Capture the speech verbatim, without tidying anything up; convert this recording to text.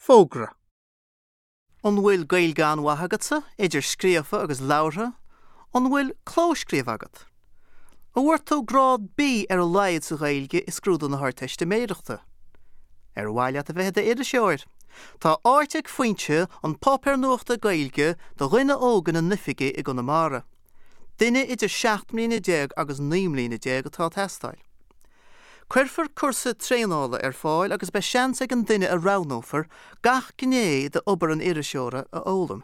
Fógra. An bhfuil Gaeilge an-mhaith agatsa, idir scríofa agus labhartha, an bhfuil clóscríobh agat? An bhfuair tú grád B ar a laghad sa Ghaeilge i scrúdú na hArdteistiméireachta. Ar mhaith leat a bheith i d'iriseoir. Tá áit ag Foinse an páipéar nuachta Gaeilge do dhuine óg ina n-oifigí i gConamara. Duine idir seacht mbliana déag agus naoi mbliana déag atá ag teastáil. Cuirfear cúrsa traenála ar fáil agus beidh seans ag an duine a roghnófar gach gné d'obair an iriseora a fhoghlaim.